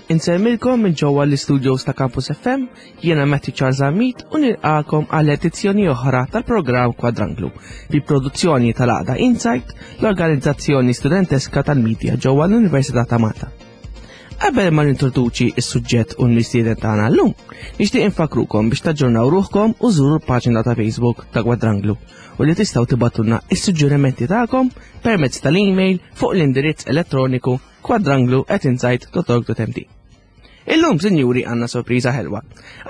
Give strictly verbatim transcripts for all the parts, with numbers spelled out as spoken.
Insellmilkom minn ġewwa l-istudios ta' Campus F M, jiena Matthew Charles Amit u nilqakom għal edizzjoni oħra tal-programm Kwadranglu bi produzzjoni tal-għaqda Insight, l-organizzazzjoni studenteska tal-medja ġewwa l-Università ta' Malta. Qabel ma nintroduċi is-suġġett u l-mistieden tagħna llum, nixtieq infakrukom biex taġġornaw ruħkom u żuru l-paġna ta' Facebook ta' Kwadranglu u li tistgħu tibagħtulna is-suġġerimenti tagħkom permezz tal-email fuq l-indirizz elettroniku kwadranglu at insight dot org dot M T. Illum, sinjuri, għandna sorpriża ħelwa.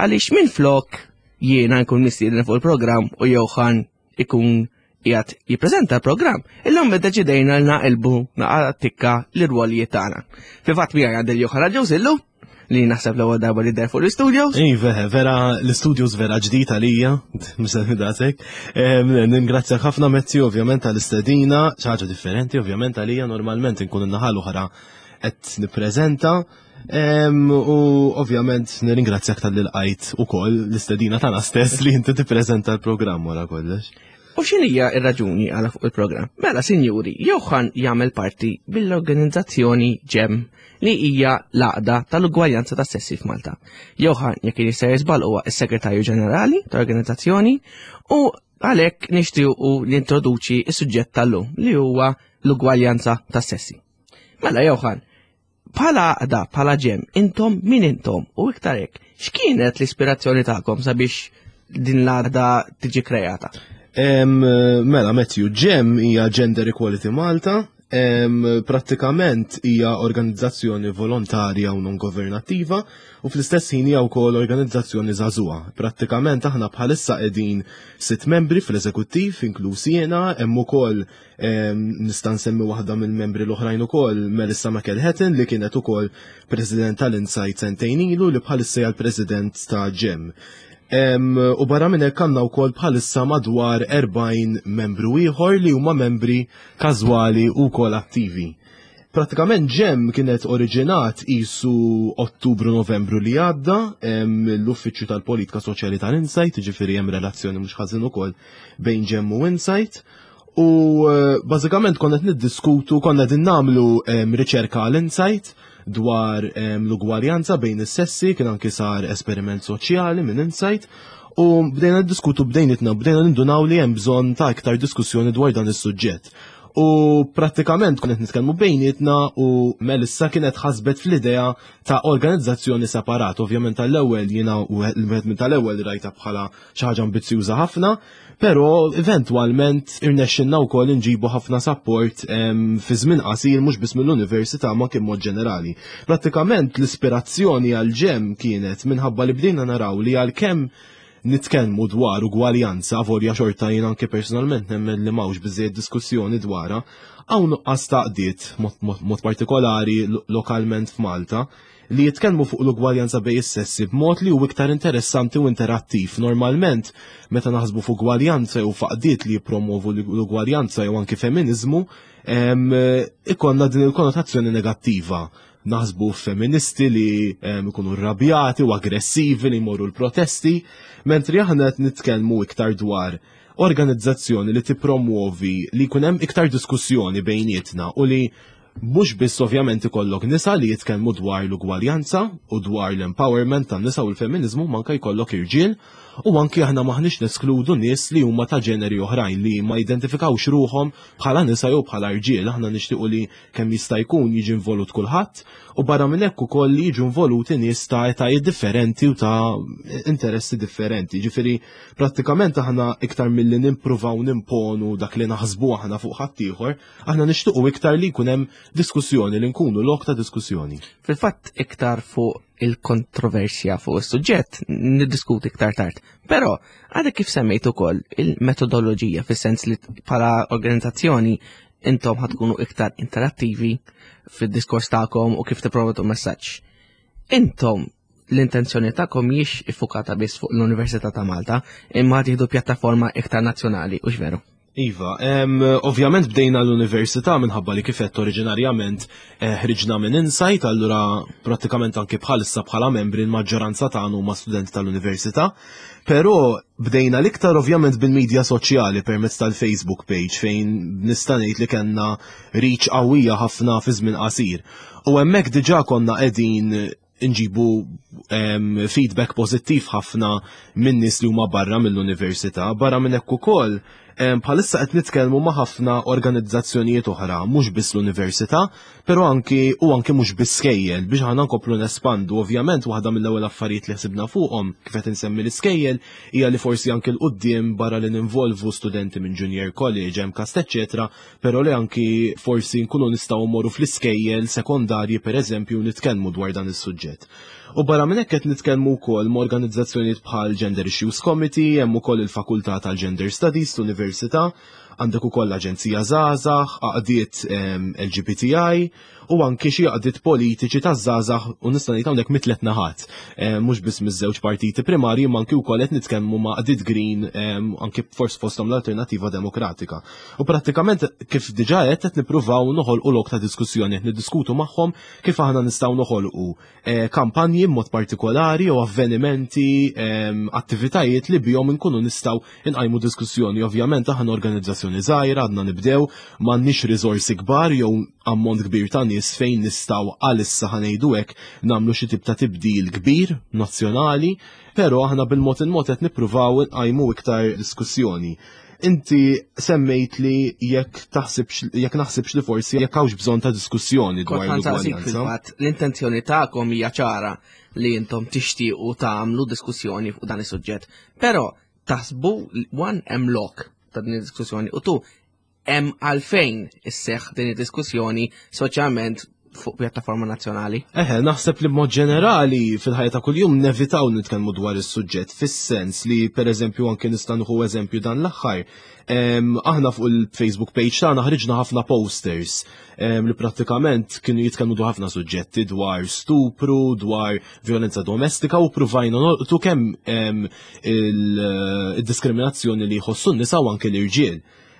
Għaliex minn flok jiena nkun mistieden fuq il-programm u Johan ikun qiegħed jippreżenta l-programm, illum iddeċidejna li naqilbu naqra tikka l-irwolijiet tagħna. Fil-fatt miegħi għandi Johan Ġewsillu li naħseb l-ewwel darba li der fuq l-studios. Iva, vera, l-studios vera ġdid għalija, mhux daqshekk. Ningrazzjak ħafna, Matthew, ovvjament, għall-istedina, xi ħaġa differenti ovvjament għalija, normalment nkun in-naħa l-oħra qed nippreżenta. U ovvjament nirringrazzjak talli lqajt ukoll l-istedina tagħna stess li inti tippreżenta l-programm wara kollox. U x'inhija ir-raġuni għala fuq il-programm? Mela, sinjuri, Johan jagħmel parti bil-organizzazzjoni GEM, li hija l-għaqda tal-ugwaljanza tas sessi f'Malta. Johan, jekk jista' jiżbal, huwa s-segretarju ġenerali tal-organizzazzjoni u għalhekk nixtiequ li introduċi is-suġġett tal-lum, li huwa l-ugwaljanza tas sessi. Mela Johan, bħala għaqda, bħala GEM, intom min intom u iktar hekk, x'kienet l-ispirazzjoni tagħkom sabiex din l-għaqda tiġi kreata? Em, Mela, Matthew, GEM hija Gender Equality Malta, em, prattikament hija organizzazzjoni volontarja u non governattiva u fl-istess ħin hija wkoll organizzazzjoni żagħżugħa. Prattikament aħna bħalissa qegħdin sitt membri fl-eżekuttiv, inkluż jiena, hemm ukoll em, nista' nsemmi waħda mill-membri l-oħrajn ukoll, Melissa McElhatton, li kienet ukoll president tal-Insight sentejn ilu, li bħalissa hija l-president ta' GEM. Em, u barra minn hekk għandna wkoll bħalissa madwar erbgħin membru ieħor li huma membri każwali u wkoll attivi. Pratikament GEM kienet oriġinat isu Ottubru, Novembru li għadda em, l-Uffiċċju tal-Politika Soċjali tal-Insight, ġifieri hemm relazzjoni mhux ħażin ukoll bejn GEM u Insight. U eh, bażikament konna qed niddiskutu, konna qegħdin nagħmlu em, riċerka għal-Insight dwar em, l-ugwaljanza bejn is-sessi, kien anki sar esperiment soċjali minn Insight, u bdejna niddiskutu bdejnitna, bdejna nindunaw li hemm bżonn ta' iktar diskussjoni dwar dan is-suġġett. U prattikament konna qed nitkellmu bejnietna u Melissa kienet ħasbet fl-idea ta' organizzazzjoni separat. Ovvjament tal-ewwel jiena u wieħed minn tal-ewwel rajta bħala xi ħaġa ambizzjuża ħafna, però eventwalment irnexxinna wkoll inġibu ħafna support em, fi żmien qasir, mhux biss mill-università ma kien mod ġenerali. Prattikament l-ispirazzjoni għal GEM kienet minħabba li bdejna naraw li għalkemm nitkellmu dwar ugwaljanza, volja xorta jien anke personalment nemmen li m'hawnx biżejjed diskussjoni dwarha, hawn nuqqas ta' għaqdiet mod, mod, mod partikolari lo- lokalment f'Malta li jitkellmu fuq l-ugwaljanza bejn is-sessi b'mod li hu iktar interessanti u interattiv. Normalment, meta naħsbu fuq ugwaljanza jew għaqdiet li jippromovu l-ugwaljanza jew anki feminiżmu, em, ikollna din il-konnotazzjoni negattiva. Naħsbu feministi li em, ikunu rrabjati u aggressivi li jmorru l-protesti, mentri aħna qed nitkellmu iktar dwar organizzazzjoni li tippromuovi li jkun hemm iktar diskussjoni bejnietna u li mhux biss ovvjament ikollok nisa li jitkellmu dwar l-ugwaljanza u dwar l-empowerment tan-nisa u l-feminizmu, manka jkollok irġiel, u anki aħna maħniex neskludu nies li huma ta' ġeneri oħrajn li ma jidentifikawx ruħhom bħala nisa jew bħala irġiel. Aħna nixtiequ li kemm jista' jkun jiġi involut kulħadd u barra minn hekk ukoll li jiġu involuti nies ta' etajiet differenti u ta' interessi differenti. Ġifieri prattikament aħna iktar milli nippruvaw nimponu dak li naħsbu aħna fuq ħaddieħor, aħna nixtiequ iktar li jkun hemm diskussjoni, li nkunu lok ta' diskussjoni. Fil-fatt iktar fuq il-kontroversja fuq is-suġġett niddiskuti iktar tard. Però għadek kif semmejt ukoll il-metodoloġija, fis-sens li bħala organizzazzjoni intom ħatkunu iktar interattivi fid-diskors tagħkom u kif tipprovdu messaġġ. Intom l-intenzjoni tagħkom mhijiex iffukata biss fuq l-Università ta' Malta, imma tieħdu pjattaforma iktar nazzjonali, u veru? Iva, em, ovvjament bdejna l-università minħabba li kif għedt oriġinarjament eh, ħriġna minn Insight, allura prattikament anki bħalissa bħala membri l-maġġoranza tagħna huma studenti tal-università. Però bdejna l-iktar ovvjament bil-medja soċjali permezz tal-Facebook page, fejn nista' ngħid li kellna reach qawwija ħafna fi żmien qasir. U hemmhekk diġà konna qegħdin nġibu feedback pożittiv ħafna minn nies li huma barra mill-università. Barra minn hekk ukoll, bħalissa qed nitkellmu ma' ħafna organizzazzjonijiet oħra, mhux biss l-università, però anki u anki mhux biss skejjel biex aħna nkomplu nespandu. Ovvjament, waħda mill-ewwel affarijiet li ħsibna fuqhom kif qed insemmi l-iskejjel hija li forsi anki 'l quddiem, barra li ninvolvu studenti minn junior college, MCAST, eċetera, però li anki forsi nkunu nistgħu mmorru fl-iskejjel sekondarji, pereżempju, nitkellmu dwar dan is-suġġett. U barra minn hekk, qed nitkellmu wkoll ma' organizzazzjonijiet bħal Gender Issues Committee, hemm ukoll il-Fakultà tal-Gender Studies l-Università, għandek ukoll l-Aġenzija Żgħażagħ, għaqdiet L G B T I u anki xi għaqdiet politiċi ta' żgħażagħ, u nista' ngħid hawnhekk mit-tliet naħat. Mhux biss miż-żewġ partiti primarji, ma anki wkoll qed nitkellmu ma' għaqdiet Green, anki forsi fosthom l-Alternattiva Demokratika. U prattikament, kif diġà qed qed nippruvaw noħolqu lok ta' diskussjoni, qed niddiskutu magħhom kif aħna nistgħu noħolqu eh, kampanji mod partikolari u avvenimenti, attivitajiet li bihom inkunu nistgħu inqajmu diskussjoni. Ovvjament, aħna organizzazzjoni żgħira, għadna nibdew, m'għandniex riżorsi kbar jew ammont kbir ta' nies fejn nistgħu għalissa, ħa ngħidu hekk, nagħmlu xi tip ta' tibdil kbir nazzjonali, però aħna bil-mod il-mod qed nippruvaw nqajmu iktar diskussjoni. Inti semmejt li jekk taħsibx, jekk naħsibx li forsi jekk hawnx bżonn ta' diskussjoni dwar l-ugwaljanza. Fil-fatt, l-intenzjoni tagħkom hija ċara li intom tixtiequ tagħmlu diskussjoni fuq dan is-suġġett. Però taħsbu, one, hemm lok ta' din id-diskussjoni u two, hemm għalfejn isseħ din id-diskussjoni, soċjalment, fuq pjattaforma nazzjonali? Eħe, naħseb li b'mod ġenerali fil-ħajja ta' kuljum nevitaw nitkellmu dwar is-suġġett, fis-sens li, pereżempju, anke nista' nieħu eżempju dan l-aħħar. Aħna fuq il-Facebook page tagħna ħriġna ħafna posters li prattikament kienu jitkellmu dwar ħafna suġġetti, dwar stupru, dwar violenza domestika, u pruvajna nolqtu kemm il-diskriminazzjoni li jħossu n-nisa u anke l-irġiel.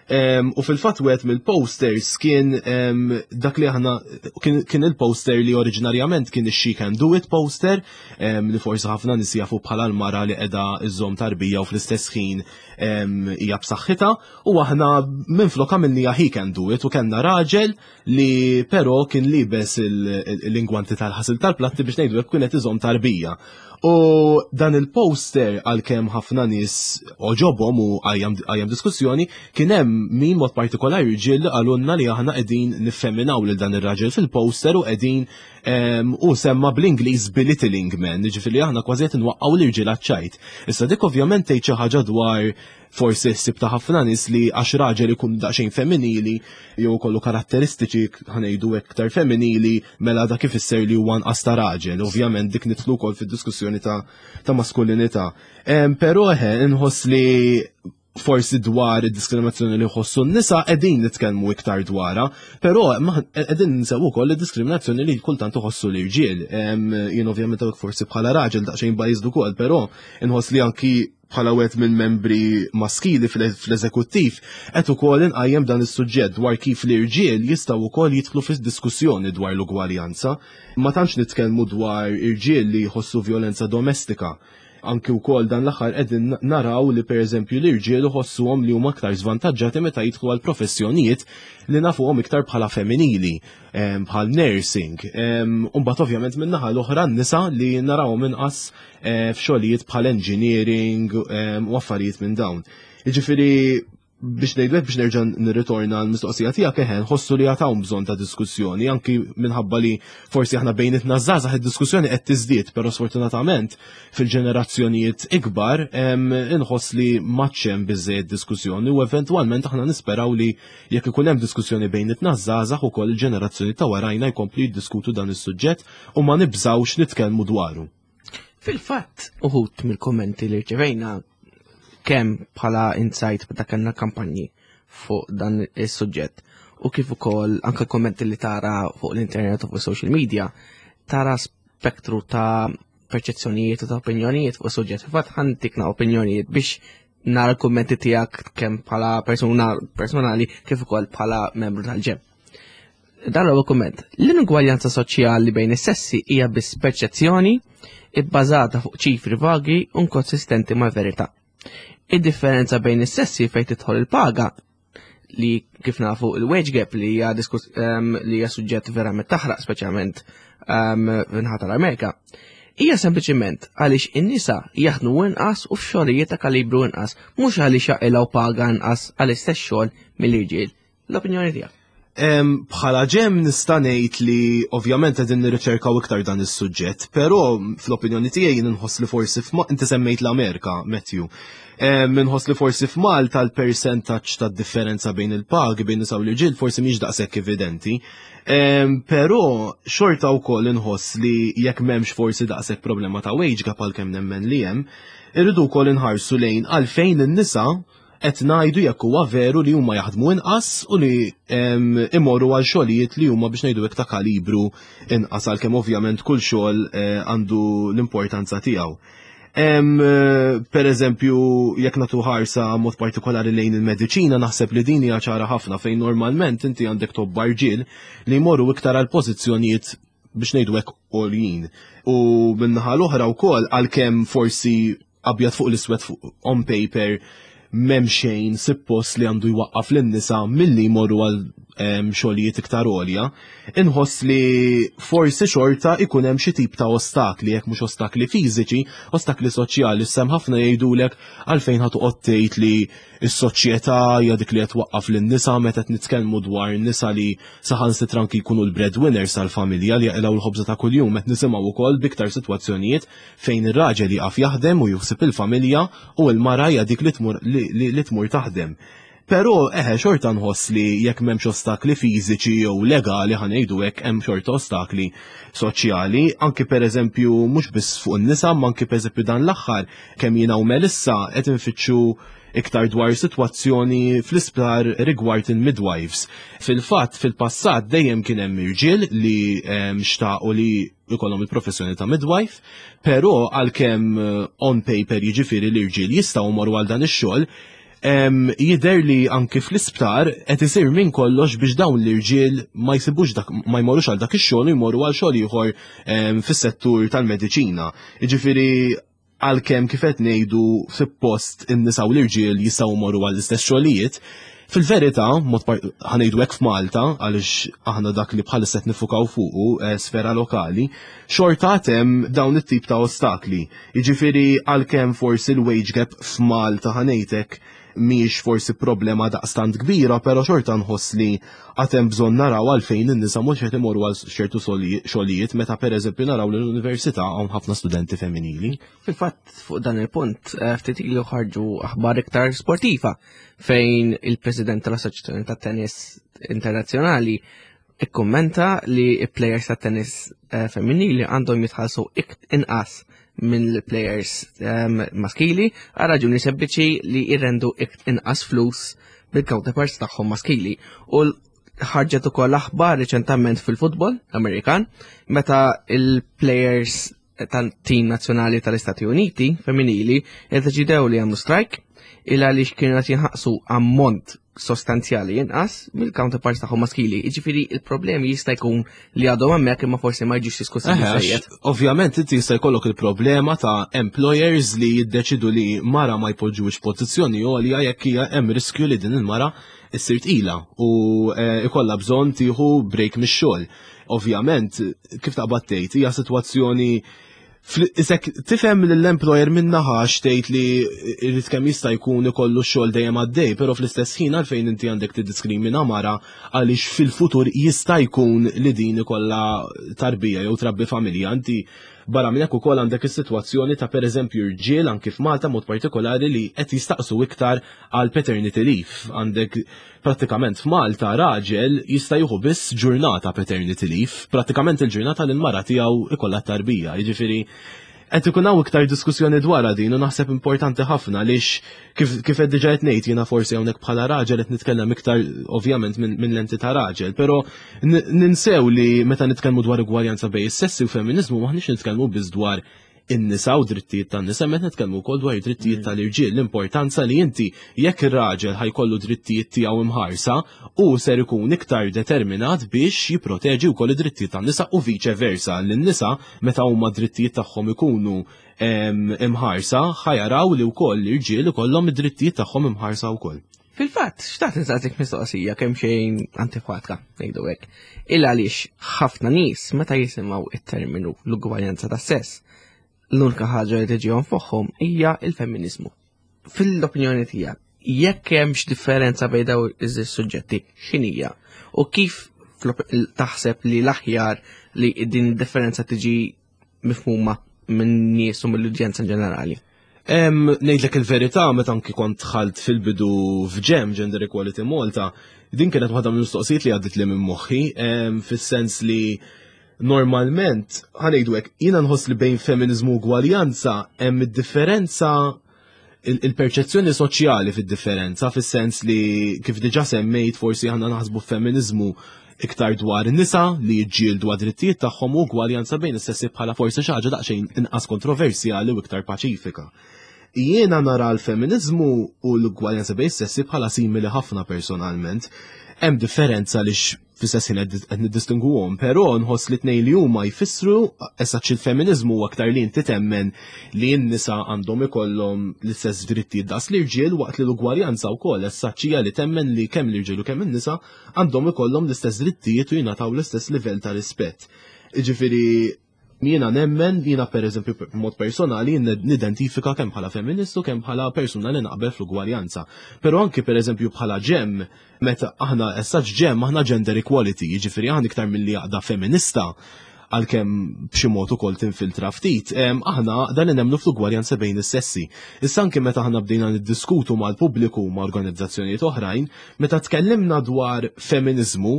U fil-fatt, wieħed mill-posters kien dak li aħna kien il-poster li oriġinarjament kien ix-She Can Do It poster, li forsi ħafna nies jafu bħala l-mara li qiegħda iżżomm tarbija u fl-istess ħin hija b'saħħitha, u aħna minflok għamilniha He Can Do It u kellna raġel li però kien liebes l-ingwanti tal-ħasil tal-platti, biex ngħidu hekk, kienet iżomm tarbija. U dan il-poster, għalkemm ħafna nies għoġobhom u qajjem diskussjoni, kien hemm min, mod partikolari ġiel, qalulna li aħna qegħdin niffeminaw lil dan ir-raġel fil-poster u qegħdin u semma bl-Ingliż belittling men, ġifieri aħna kważi qed nwaqqgħu l-irġiel ċajt. Issa dik ovvjament tgħid xi ħaġa dwar forsi ħsieb ta' ħafna nies li għax raġel ikun daqsxejn femminili jew kollu karatteristiċi, ħa ngħidu, iktar femminili, mela dak ifisser li huwa nqas ta' raġel. Ovvjament, dik nidħlu wkoll fid-diskussjoni ta', ta maskulinità. Però eħe, inħoss li forsi dwar id-diskriminazzjoni li jħossu n-nisa qegħdin nitkellmu iktar dwarha, però qegħdin ninsew ukoll id-diskriminazzjoni li kultant iħossu l-irġiel. Jien ovvjament forsi bħala raġel daqsxejn biased ukoll, però inħoss li anki bħala wieħed minn membri maskili fl-eżekuttiv qed ukoll inqajjem dan is-suġġett dwar kif l-irġiel jistgħu wkoll jidħlu fis-diskussjoni dwar l-ugwaljanza. Ma tantx nitkellmu dwar irġiel li jħossu violenza domestika. Anki wkoll dan l-aħħar qegħdin naraw li, pereżempju, l-irġiel iħossuhom li huma aktar żvantaġġati meta jidħlu għal professjonijiet li nafuhom iktar bħala femminili, bħal nursing. U mbagħad ovvjament min-naħa l-oħra n-nisa li narawhom inqas eh, f'xogħlijiet bħal engineering u affarijiet minn dawn. Jiġifieri, biex ngħidlek, biex nerġa' nirritorna l-mistoqsija tiegħek, eħe, nħossu li għad hawn bżonn ta' diskussjoni, anki minħabba li forsi aħna bejnietna żgħażagħ id-diskussjoni qed tiżdied, però sfortunatament fil-ġenerazzjonijiet ikbar inħoss li m'għadx hemm biżejjed diskussjoni, u eventwalment aħna nisperaw li jekk ikun hemm diskussjoni bejnietna żgħażagħ, ukoll il-ġenerazzjoni ta' warajna jkomplu jiddiskutu dan is-suġġett u ma nibżawx nitkellmu dwaru. Fil-fatt, uħud mill-kommenti li rċevejna kemm bħala insight meta kellna kampanji fuq dan is-suġġett u kif ukoll anke kommenti li tara fuq l-internet u fuq social media, tara spektru ta' perċezzjonijiet u ta' opinjonijiet fuq is-suġġett. Fil-fatt, ħa ntikna opinjonijiet biex nara l-kummenti tiegħek kemm bħala persuna personali kif ukoll bħala membru tal-GEM. Dan huwa kumment. L-inugwaljanza soċjali bejn is-sessi hija biss perċezzjoni ibbażata fuq ċifri vagi u inkonsistenti mal-verità. Id-differenza bejn is-sessi fejn tidħol il-paga li kif nafu il-wage gap li hija li hija suġġett verament taħraq, speċjalment min-naħa tal-Amerika, hija sempliċiment għaliex in-nisa jaħdmu inqas u f'xogħlijiet ta' kalibru inqas, mhux għaliex jaqilgħu paga inqas għall-istess xogħol mill-irġiel. L-opinjoni tiegħek? Bħala GEM nista' ngħid li ovvjament qegħdin nirriċerkaw iktar dan is-suġġett, però fl-opinjoni tiegħi nħoss li forsi inti semmejt l-Amerika, Matthew. Minħoss li forsi f'Malta l-percentaġġ ta' differenza bejn il-pagi bejn nisa u l-irġiel forsi mhix daqshekk evidenti. Però xorta wkoll inħoss li jekk m'hemmx forsi daqshekk problema ta' wage gap, għalkemm nemmen li hemm, irridu wkoll inħarsu lejn għalfejn in-nisa qed ngħidu, jekk huwa veru li huma jaħdmu inqas u li imorru għal xogħlijiet li huma, biex ngħidu, ta' kalibru inqas, għalkemm ovvjament kull xogħol eh, għandu l-importanza tiegħu. Per eżempju, jekk nagħtu ħarsa mod partikolari lejn il-mediċina, naħseb li din hija ċara ħafna, fejn normalment inti għandek tobba rġiel li jmorru iktar għal pożizzjonijiet, biex ngħidu hekk, għoljin. U min-naħa l-oħra wkoll, għalkemm forsi abjad fuq l-iswed on paper m'hemm xejn suppost li għandu jwaqqaf lin-nisa milli jmorru għal xogħlijiet iktar għolja, inħoss li forsi xorta ikun hemm xi tip ta' ostakli, jekk mhux ostakli fiżiċi, ostakli soċjali. Sem ħafna jgħidulek għalfejn ħa toqgħod tgħid li s-soċjetà hija dik li qed twaqqaf lin-nisa meta qed nitkellmu dwar nisa li saħansitra anki jkunu l-breadwinners tal-familja li jaqilgħu l-ħobża ta' kuljum, qed nisimgħu wkoll biktar sitwazzjonijiet fejn ir-raġel jaqaf jaħdem u juħsib il-familja u l-mara hija dik li tmur li tmur taħdem. Però eħe, xorta nħoss li jekk m'hemmx ostakli fiżiċi jew legali, ħa ngħidu hekk, hemm xorta ostakli soċjali, anki per eżempju mhux biss fuq in-nisa, ma anki per eżempju dan l-aħħar kemm jiena u Melissa qed infittxu iktar dwar sitwazzjoni fl-isptar rigward il-midwives. Fil-fatt, fil-passat dejjem kien hemm irġiel li xtaqu li jkollhom il-professjoni ta' midwife, però għalkemm eh, on paper, jiġifieri, l-irġiel jistgħu jmorru għal dan ix-xogħol, jidher li anki fl-isptar qed isir minn kollox biex dawn l-irġiel ma jsibux dak, ma jmorrux għal dak ix-xogħol u jmorru għal xogħol ieħor fis-settur tal-mediċina. Jiġifieri għalkemm, kif qed ngħidu, suppost in-nisa u l-irġiel jistgħu jmorru għall-istess xogħlijiet, fil-verità, mod ħa ngħidu hekk, f'Malta, għaliex aħna dak li bħalissa qed niffukaw fuqu eh, sfera lokali, xorta hemm dawn it-tip ta' ostakli. Jiġifieri għalkemm forsi l-wage gap f'Malta, ħa ngħidlek, mhix forsi problema daqstant kbira, pero xorta nħoss li għad hemm bżonn naraw għalfejn in-nisa mhux qed imorru għal ċertu xogħlijiet meta per eżempju naraw li l-università hawn ħafna studenti femminili. Fil-fatt, fuq dan il-punt, eh, ftit ilu ħarġu aħbar iktar sportiva fejn il-president tal-Assoċjazzjoni tat-Tennis Internazzjonali ikkummenta li players ta' tennis eh, femminili għandhom jitħallsu inqas minn players um, maskili għal raġuni sempliċi li jirrendu inqas flus bil-counterparts tagħhom maskili. U ħarġet ukoll aħbar reċentament fil-futbol Amerikan meta il-players tal-team nazzjonali tal-Istati Uniti femminili iddeċidew li jagħmlu strike il għaliex kienu qed jinħallsu ammont sostanzjali inqas mill-counterparts tagħhom maskili. Jiġifieri il-problemi jista' jkun li għadhom hemmhekk, imma forsi ma jiġux diskussi biżejjed. Ovvjament inti jista' jkollok il-problema ta' employers li jiddeċidu li mara ma jpoġġux pożizzjoni għolja jekk hija hemm riskju li din il-mara issir tqila u eh, ikollha bżonn tieħu break mix-xogħol. Ovvjament, kif taqbad tgħid, hija sitwazzjoni Isek tifhem l-employer min-naħa tgħid li irrid kemm jista' jkun ikollu xogħol dejjem għaddej, però fl-istess ħin għalfejn inti għandek tiddiskrimina mara għaliex fil-futur jista' jkun li din ikollha tarbija jew trabbi familja? Inti barra minn hekk ukoll għandek is-sitwazzjoni ta' pereżempju rġiel anki f'Malta mod partikolari li qed jistaqsu iktar għal paternity leave. Għandek prattikament f'Malta raġel jista' jieħu biss ġurnata paternity leave, prattikament il-ġurnata li l-mara tiegħu ikollha tarbija. Jiġifieri qed ikun hawn iktar diskussjoni dwar din u naħseb importanti ħafna għaliex kif kif qed diġà qed ngħid jiena, forsi hawnhekk bħala raġel qed nitkellem iktar ovvjament minn min lenti ta' raġel, però ninsew li meta nitkellmu dwar ugwaljanza bejn is-sessi u feminiżmu maħniex nitkellmu biss dwar in-nisa u drittijiet tan-nisa, meta nitkellmu wkoll dwar drittijiet tal-irġiel, l-importanza li inti jekk ir-raġel ħa jkollu drittijiet tiegħu imħarsa u ser ikun iktar determinat biex jipproteġi wkoll id-drittijiet tan-nisa u viċe versa, l-nisa meta huma drittijiet tagħhom ikunu imħarsa ħa jaraw li wkoll l-irġiel ikollhom id-drittijiet tagħhom imħarsa wkoll. Fil-fatt, xtaqt insaqsik mistoqsija kemm xejn antipatika, ngħidu hekk. Illa għaliex ħafna nies meta jisimgħu it-terminu l-ugwaljanza tas-sess, l-unika ħaġa li tiġihom f'moħħhom hija il-femminizmu. Fil-opinjoni tiegħek, jekk hemmx differenza bejn dawn iż-suġġetti, x'inhija? U kif taħseb li l-aħjar li din id-differenza tiġi mifhuma minn nies u mill-udjenza ġenerali? Ngħidlek il-verità, meta anki kont dħalt fil-bidu f'GEM, Gender Equality Malta, din kienet waħda mill-mistoqsijiet li għaddit li minn moħħi, fis-sens li normalment, ħa ngħidu hekk, jiena nħoss li bejn feminizmu u ugwaljanza hemm id-differenza, il-perċezzjoni soċjali fid-differenza, fis-sens li kif diġà semmejt, forsi aħna naħsbu feminizmu iktar dwar nisa li jiġġieldu għad-drittijiet tagħhom u ugwaljanza bejn is-sessi bħala forsi xi ħaġa daqsxejn inqas kontroversjali u iktar paċifika. Jiena nara l-feminizmu u l-ugwaljanza bejn is-sessi bħala simili ħafna personalment. Hemm differenza li fis-sessi qed niddistinguhom, però nħoss li tnejn li huma jfissru esaċ il-feminizmu huwa aktar li inti temmen li n-nisa għandhom ikollhom l-istess drittijiet daqs l-irġiel, waqt li l-ugwaljanza wkoll essaċ li temmen li kemm l-irġiel u kemm in-nisa għandhom ikollhom l-istess drittijiet u jingħataw l-istess livell ta' rispett. Jiġifieri jiena nemmen, jiena per eżempju mod personali nidentifika kemm bħala feministu, kemm bħala persuna li naqbel fl-ugwaljanza. Però anki per eżempju bħala GEM, meta aħna essaċ GEM, aħna gender equality, jiġifieri aħna iktar milli għaqda feminista, għalkemm b'xi mod ukoll tinfiltra ftit, aħna dan nemmnu fl-ugwaljanza bejn is-sessi. Issa anke meta aħna bdejna niddiskutu mal-pubbliku, ma' organizzazzjonijiet oħrajn, meta tkellimna dwar feminizmu,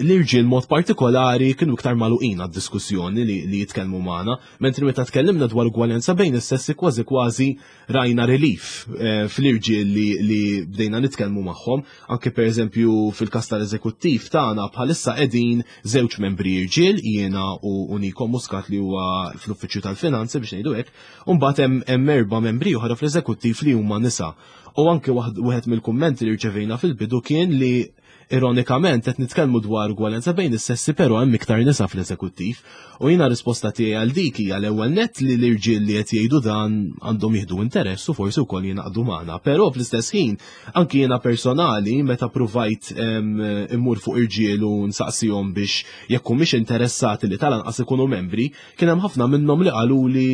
l-irġiel mod partikolari kienu iktar magħluqin għad-diskussjoni li, li jitkellmu magħna, mentri meta tkellimna dwar ugwaljanza bejn is-sessi kważi kważi rajna relief eh, fl-irġiel li, li bdejna nitkellmu magħhom, anke per eżempju fil-każ tal-eżekuttiv tagħna bħalissa qegħdin żewġ membri irġiel, jiena u, u Niko Muscat li huwa fl-uffiċċju tal-finanzi biex ngħidu hekk, u mbagħad hemm erba' membri oħra fl-eżekuttiv li huma nisa. U anke wieħed mill-kummenti li rċevejna fil-bidu kien li ironikament qed nitkellmu dwar ugwaljanza bejn is-sessi, però hemm iktar nisa fl-eżekuttiv. U jiena risposta tiegħi għal dik hija l-ewwel nett li l-irġiel li qed jgħidu dan għandhom jieħdu interess u forsi wkoll jingħaqdu magħna. Però fl-istess ħin anki jiena personali meta pruvajt immur fuq irġiel u nsaqsihom biex jekk humiex interessati li tal-anqas ikunu membri, kien hemm ħafna minnhom li qalu li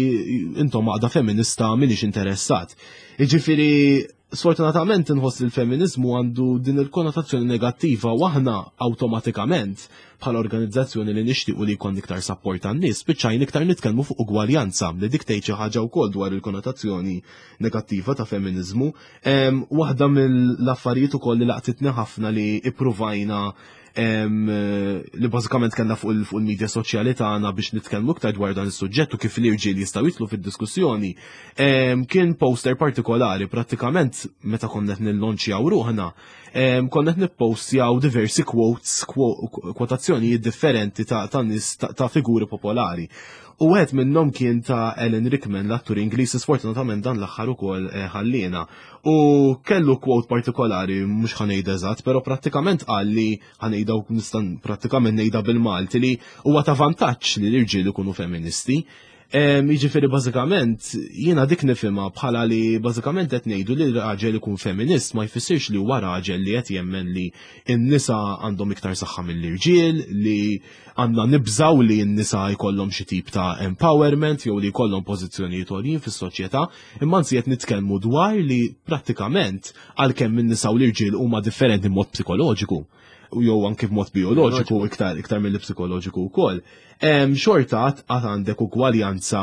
intom għaqda feminista, m'iniex interessat. Jiġifieri sfortunatament inħoss li l-feminizmu għandu din il-konnotazzjoni negattiva u aħna awtomatikament bħala organizzazzjoni li nixtiequ li jkun iktar support għan-nies spiċċajna iktar nitkellmu fuq ugwaljanza, li dik tgħid xi ħaġa wkoll dwar il-konnotazzjoni negattiva ta' feminizmu. Waħda mill-affarijiet ukoll li laqtitni ħafna li ippruvajna, li bażikament kellna fuq il-medja soċjali tagħna biex nitkellmu iktar dwar dan is-suġġett u kif l-irġiel jistgħu jidħlu fid-diskussjoni, kien poster partikolari. Prattikament meta konna qed nillonċjaw ruħna, konna qed nippostjaw diversi quotes, kwotazzjonijiet differenti ta' nies, ta' figuri popolari. U wieħed minnhom kien ta' Alan Rickman, l-attur Ingliż, sfortunatament dan l-aħħar ukoll eh, ħallina. U kellu quote partikolari, mhux ħa ngħid eżatt, però prattikament qal li, ħa ngħidha u nista' prattikament ngħidha bil-Malti, li huwa ta' vantaġġ li l-irġiel ikunu feministi. Jiġifieri bażikament jiena dik nifhimha bħala li bażikament qed ngħidu li raġel ikun feminist ma jfissirx li huwa raġel li qed jemmen li n-nisa għandhom iktar saħħa mill-irġiel, li għandna nibżaw li n-nisa jkollhom xi tip ta' empowerment jew li jkollhom pożizzjonijiet għoljin fis-soċjetà, imma anzi qed nitkellmu dwar li prattikament għalkemm in-nisa u l-irġiel huma differenti mod psikoloġiku u jew anke b'mod bioloġiku iktar iktar mill psikoloġiku wkoll. Xorta għad għandek ugwaljanza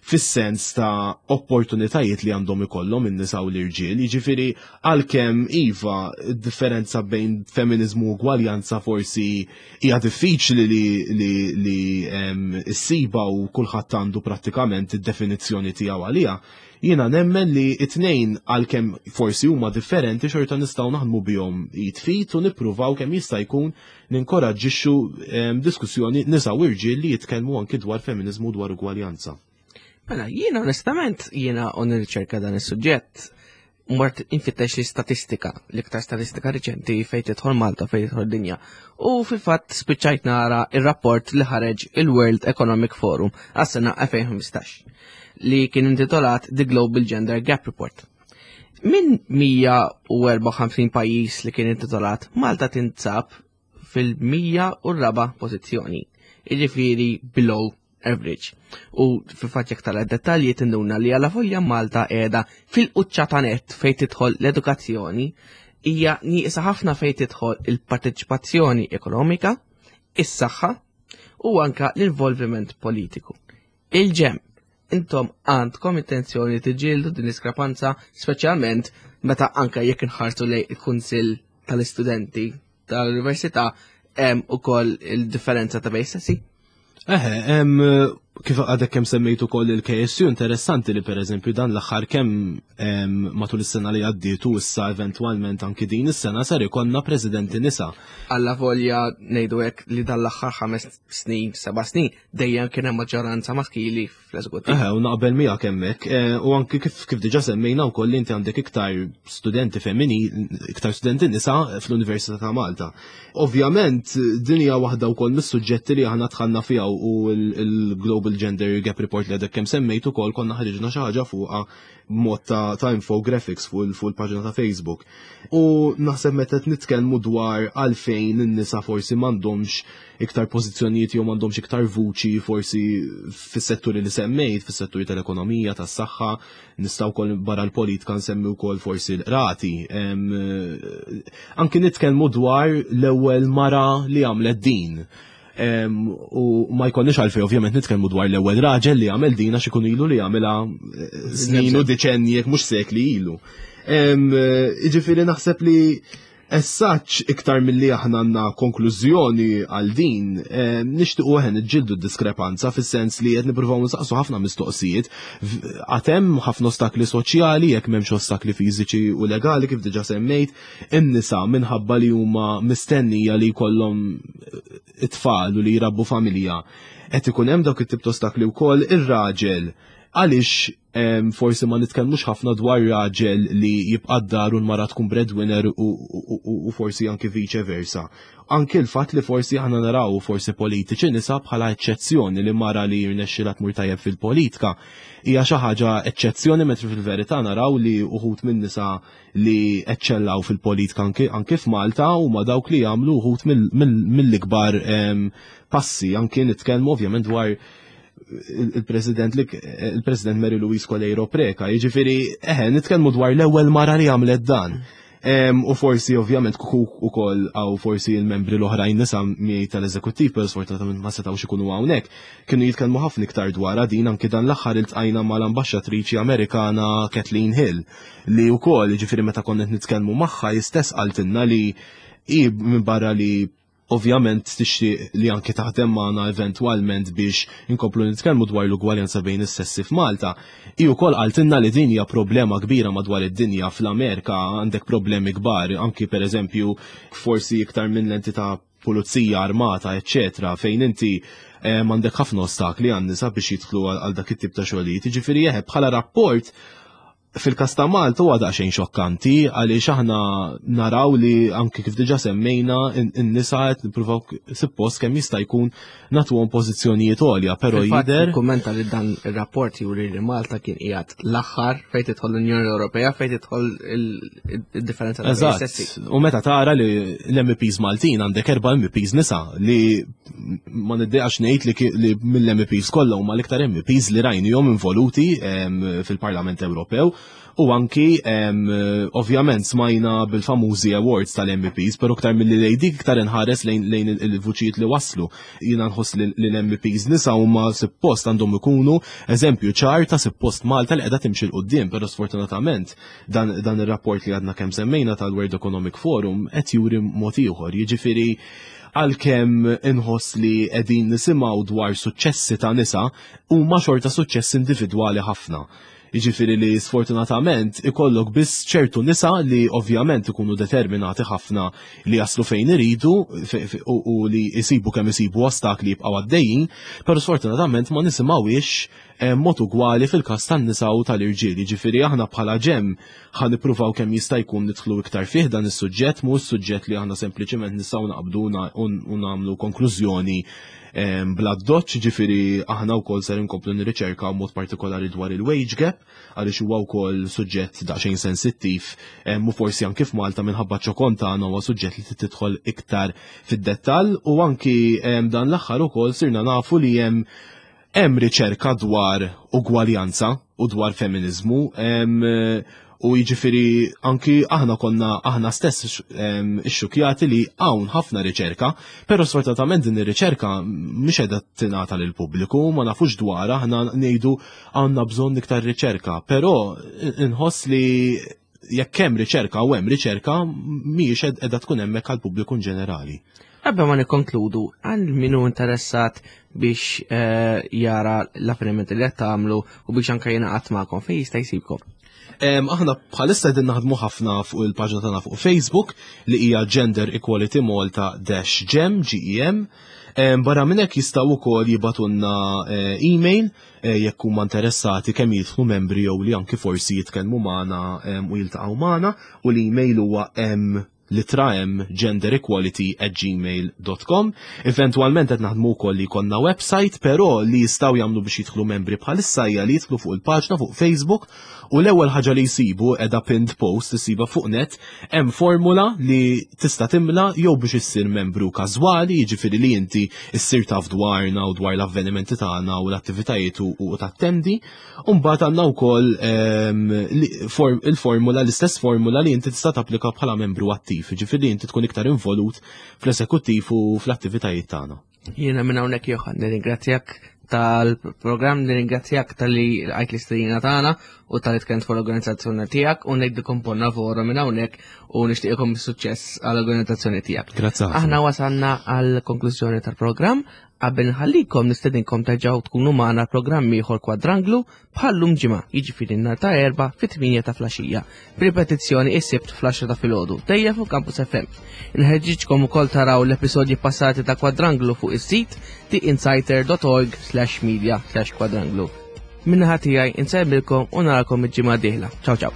fis-sens ta' opportunitajiet li għandhom ikollhom in-nisa u l-irġiel, jiġifieri għalkemm iva differenza bejn feminizmu u ugwaljanza forsi hija diffiċli li li li ssiba u kulħadd għandu prattikament id-definizzjoni tiegħu għaliha. Jiena nemmen li it-tnejn, għalkemm forsi huma differenti, xorta nistgħu naħdmu bihom jitfit u nippruvaw kemm jista' jkun ninkoraġġixxu diskussjoni nisa u irġiel li jitkellmu anki dwar feminizmu, dwar ugwaljanza. Mela, jiena onestament, jiena u nirriċerka dan is-suġġett, mort infittex li statistika, l-iktar statistika riċenti fejn tidħol Malta, fejn tidħol dinja. U fil-fatt spiċċajt nara il-rapport li ħareġ il-World Economic Forum għas-sena elfejn u ħmistax li kien intitolat The Global Gender Gap Report. Minn mija u erbgħa u ħamsin pajjiż li kien intitolat, Malta tinsab fil-mija u raba' pożizzjoni. Jiġifieri below average. U fil-fatt jekk tara dettalji tinduna li għala volja Malta qiegħda fil-quċċata net fejn tidħol l-edukazzjoni, hija nieqsa ħafna fejn tidħol il-parteċipazzjoni ekonomika, is-saħħa u anka l-involviment politiku. Il-GEM, intom għandkom intenzjoni tiġġieldu din diskrepanza, speċjalment meta anka jekk inħarsu lejn il-Kunsill tal-Istudenti tal-Università hemm ukoll il-differenza ta' bejn sessi? Eħe, em, kif għadek kemm semmejtu ukoll il-K S U, interessanti li per eżempju dan l-aħħar kemm em, matul is-sena li għaddiet u issa eventwalment anki din is-sena ser ikollna presidenti nisa. Alla volja ngħidu hekk li dan l-aħħar ħames snin, seba' snin, dejjem kien hemm maġġoranza maskili fl-eżekuttiv. Eħe, u naqbel miegħek hemmhekk. Eh, U anki kif kif diġà semmejna wkoll li inti għandek iktar studenti femmini, iktar studenti nisa fl-Università ta' Malta. Ovvjament, din hija waħda wkoll mis-suġġetti li aħna dħalna fiha u il-Global Gender Gap Report li għadek kemm semmejt ukoll konna ħriġna xi ħaġa fuqha mod ta', ta' infographics fuq fuq il-paġna ta' Facebook. U naħseb meta qed nitkellmu dwar għalfejn in-nisa forsi m'għandhomx iktar pożizzjonijiet jew m'għandhomx iktar vuċi forsi fis-setturi li semmejt, fis-setturi tal-ekonomija, tas-saħħa, nistgħu wkoll barra l-politika nsemmi wkoll forsi l-qrati. Em, Anki nitkellmu dwar l-ewwel mara li għamlet din. Em, u ma jkollniex għalfej ovvjament nitkellmu dwar l-ewwel raġel li għamel din, għax ikun ilu li għamilha eh, snin u deċenni, jekk mhux sekli ilu. Em, eh, Jiġifieri naħseb li essaċ iktar milli aħna għandna konklużjoni għal din, eh, nixtiequ aħna niġġieldu diskrepanza fis-sens li qed nippruvaw nsaqsu ħafna mistoqsijiet. Għad hemm ħafna ostakli soċjali, jekk m'hemmx ostakli fiżiċi u legali kif diġà semmejt, in-nisa minħabba li huma mistennija li jkollhom it-tfal u li jrabbu familja. Qed ikun hemm dawk it-tip ta' ostakli wkoll. Ir-raġel, għaliex em, forsi ma nitkellmux ħafna dwar raġel li jibqa' d-dar u l-mara tkun breadwinner u, u, u, u forsi anki vice versa? Anki l-fatt li forsi aħna naraw forsi politiċi nisa bħala eċċezzjoni, li mara li jirnexxilha tmur tajjeb fil-politika hija xi ħaġa eċċezzjoni, mentri fil-verità naraw li uħud minn nisa li eċċellaw fil-politika anki, anki f'Malta huma dawk li jagħmlu uħud mill-ikbar em, passi. Anki nitkellmu ovvjament dwar il-President il-President Mary Louise Coleiro Preca, jiġifieri eħe, nitkellmu dwar l-ewwel mara li għamlet dan. Em, u forsi ovvjament kuku ukoll għaw forsi il-membri l-oħrajn nisa miegħi tal-eżekuttiv, però sfortunatament ma setgħux ikunu hawnhekk, kienu jitkellmu ħafna iktar dwar din. Anki dan l-aħħar iltqajna mal-ambaxxatriċi Amerikana Kathleen Hill, li wkoll, jiġifieri, meta konna qed nitkellmu magħha jistess qaltilna li hi minn barra li ovvjament tixtieq li anke taħdem magħna eventwalment biex inkomplu nitkellmu dwar l-ugwaljanza bejn is-sessi f'Malta. Hi wkoll qaltilna li din hija problema kbira madwar id-dinja. Fl-Amerika għandek problemi kbar, anki pereżempju forsi iktar minn l-entità pulizija armata, eccetera, fejn inti eh, m'għandek ħafna ostakli għan-nisa biex jidħlu għal għal dak it-tip ta' xogħlijiet. Jiġifieri eħe, bħala rapport fil-kas ta' Malta huwa daqsxejn xokkanti għaliex aħna naraw li anki kif diġà semmejna in-nisa qed nippruvaw suppost kemm jista' jkun nagħtuhom pożizzjonijiet għolja, però Fil-fatt, jidher Kummenta li dan ir-rapport juri li Malta kien qiegħed l-aħħar fejn tidħol l-Unjoni Ewropea fejn tidħol il-differenza ta' bejn Eżatt. sessi. U meta tara li l-M Ps Maltin, għandek erba' M Ps nisa li ma niddejaqx ngħid li ki- li mill-M Ps kollha huma l-iktar M Ps li rajnihom involuti em, fil-Parlament Ewropew. U anki em, ovvjament smajna bil-famużi awards tal-M Ps, pero iktar mill-li lejn dik iktar inħares lejn lejn il-vuċijiet li waslu. Jiena nħoss li li l-M Ps nisa huma suppost għandhom ikunu eżempju ċar ta' suppost Malta li qiegħda timxi 'l quddiem, però sfortunatament dan, dan ir-rapport li għadna kemm semmejna tal-World Economic Forum qed juri mod ieħor. Jiġifieri għalkemm inħoss li qegħdin nisimgħu dwar suċċessi ta' nisa, huma xorta suċċess individwali ħafna. Jiġifieri li sfortunatament ikollok biss ċertu nisa li ovvjament ikunu determinati ħafna li jaslu fejn iridu fe- fe- u, u li jisibu kemm isibu ostakli jibqgħu għaddejjin, però sfortunatament ma nisimgħux mod ugwali fil-każ tan-nisa u tal-irġiel. Ġifieri aħna bħala GEM ħa nippruvaw kemm jista' jkun nidħlu iktar fih dan is-suġġett, mhux suġġett li aħna sempliċement nistgħu naqbdu u nagħmlu konklużjoni bla doċ, ġifieri aħna wkoll ser inkomplu nirriċerka mod partikolari dwar il-wage gap, għaliex huwa wkoll suġġett daqsxejn sensittiv u forsi anki f'Malta minħabba ċokon tagħna huwa suġġett li tidħol iktar fid-dettall. U anki dan l-aħħar ukoll sirna nafu li hemm hemm riċerka dwar ugwaljanza u dwar feminizmu, u jiġifieri anki aħna konna aħna stess ixxukjati li hawn ħafna riċerka, però sfortunatament din ir-riċerka mhix qiegħda tingħata lill-pubbliku, ma nafux dwar. Aħna ngħidu għandna bżonn iktar riċerka, però inħoss li jekk hemm riċerka u hemm riċerka, mhijiex qiegħda tkun hemmhekk għall-pubbliku in ġenerali. Qabel ma nikkonkludu, għal min hu interessat biex eh, jara l-avvenimenti li qed tagħmlu u biex anke jingħaqad magħkom, fejn jista' jsibkom? Aħna bħalissa qegħdin naħdmu ħafna fuq il-paġna tagħna fuq Facebook li hija Gender Equality Malta dash GEM, G E M. Barra minn hekk, jistgħu wkoll jibagħtulna eh, email eh, jekk huma interessati kemm jidħlu membri jew li anki forsi jitkellmu magħna u jiltaqgħu magħna, u l-email huwa m litra m genderequality at gmail dot com. Eventualment qed naħdmu wkoll li jkollna website, però li jistgħu jagħmlu biex jidħlu membri bħalissa hija li jidħlu fuq il-paġna fuq Facebook u l-ewwel ħaġa li jsibu qiegħda pinned post, isiba fuq net, hemm formula li tista' timla jew biex issir membru każwali, jiġifieri li inti issir taf dwarna u dwar l-avvenimenti tagħna u l-attivitajiet u u tattendi. U mbagħad għandna wkoll ehm, li- form- il-formula, l-istess formula li inti tista' tapplika bħala membru attiv, jiġifieri inti tkun iktar involut fl-eżekuttiv u fl-attivitajiet tagħna. Jiena minn hawnhekk, Johan, nirringrazzjak tal-programm, nirringrazzjak talli lqajt l-istedina tagħna u talli tkellimt fuq l-organizzazzjoni tiegħek, u ngħidilkom buon lavoro minn hawnhekk u nixtieqkom suċċess għall-organizzazzjoni tiegħek. Grazzi ħafna. Aħna wasalna għal konklużjoni tal-programm. Qabel nħallikom, nistedinkom terġgħu tkunu magħna programm ieħor Kwadranglu bħallum ġimgħa, jiġifieri nhar ta' Erbgħa fit-tmienja ta' filgħaxija. B'ripetizzjoni is-Sibt fl-għaxra ta' filgħodu, dejjem fuq Campus F M. Inħeġġiġkom ukoll taraw l-episodji passati ta' Kwadranglu fuq is-sit theinsighter dot org slash media slash kwadranglu. Min-naħa tiegħi insellmilkom u narakom il-ġimgħa dieħla. Ciao ciao.